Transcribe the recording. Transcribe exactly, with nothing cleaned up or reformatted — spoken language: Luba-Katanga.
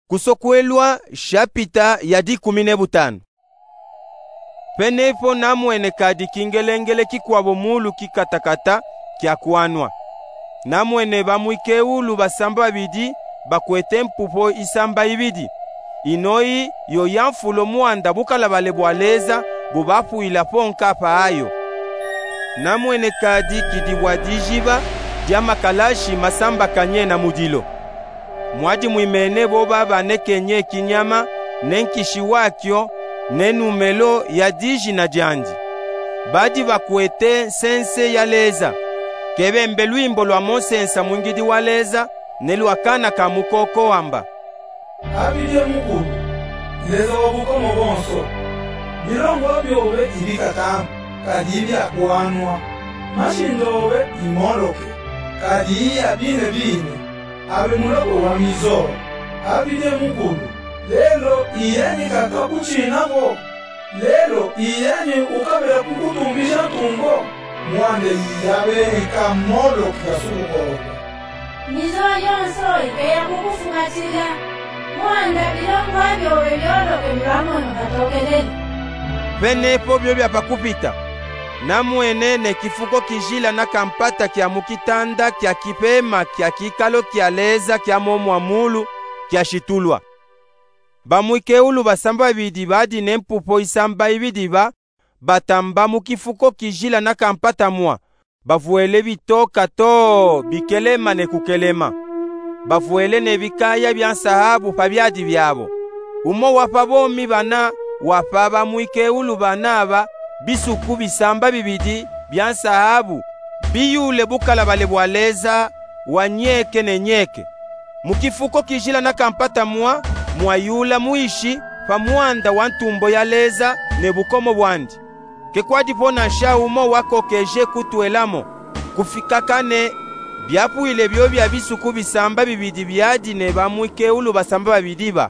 Kusokwelwa, shapita ya dikumi ne butanu. Penepo namwene kadi kingelengele kikwabo muulu kikatakata kiakwanwa. Namwene bamwikeulu basamba babidi bakwete mpupo isamba ibidi. Inoyi yo yamfulo mwanda bukalabale bwa Leza bubapwila po nkapa ayo. Namwene kadi kidi bwa dijiba dya makalashi masambakanye na mudilo. Mwadi mwimene bo babanekenye kinyama ne nkishi wakyo ne numelo ya dijina dyandi. Badi bakwete nsense ya Leza. Kebembe lwimbo lwa mo nsensa mwingidi wa Leza ne lwa kana ka mukoko wamba: Abidye mukulu, Leza wa bukomo bonso. Bilongo byobe ibikatama, kadi ibyakwanwa. Mashinda obe imoloke, kadi iya bine bine. Abe muloko wa mizo. Abidye mukulu, lelo iyeni kaka kucina ko? Lelo iyeni ukabela kukutumbisha ntungo? Mwanda iyabeni kamoloke kasukukoloka. Mizo yonso ikeya kukufumatila. Mwanda bilongo byobe byoloke mu lwamono katokelele. Penepo byo byapakupita, namwene ne kifuko kijila na kampata kya mu kitanda kya kipema kya kikalo kya Leza kya mo mwa muulu kyashitulwa. Bamwikeulu basamba babidi badi ne mpupo isamba ibidi ba batamba mu kifuko kijila na kampata mwa, bavwele bitooka too bikelema ne kukelema. Bavwele ne bikaya bya nsahabu pa byadi byabo. Umo wa pa bomi bana wa pa bamwikeulu bana aba bisuku bisamba bibidi bya nsahabu biyule bukalabale bwa Leza wa nyeke ne nyeke. Mu kifuko kijila na kampata mwa, mwayula mwishi pa mwanda wa ntumbo ya Leza ne bukomo bwandi. Ke kwadipo nansha umo wakokeje kutwelamo, kufikaka ne byapwile byo bya bisuku bisamba bibidi byadi ne bamwikeulu basamba babidi ba.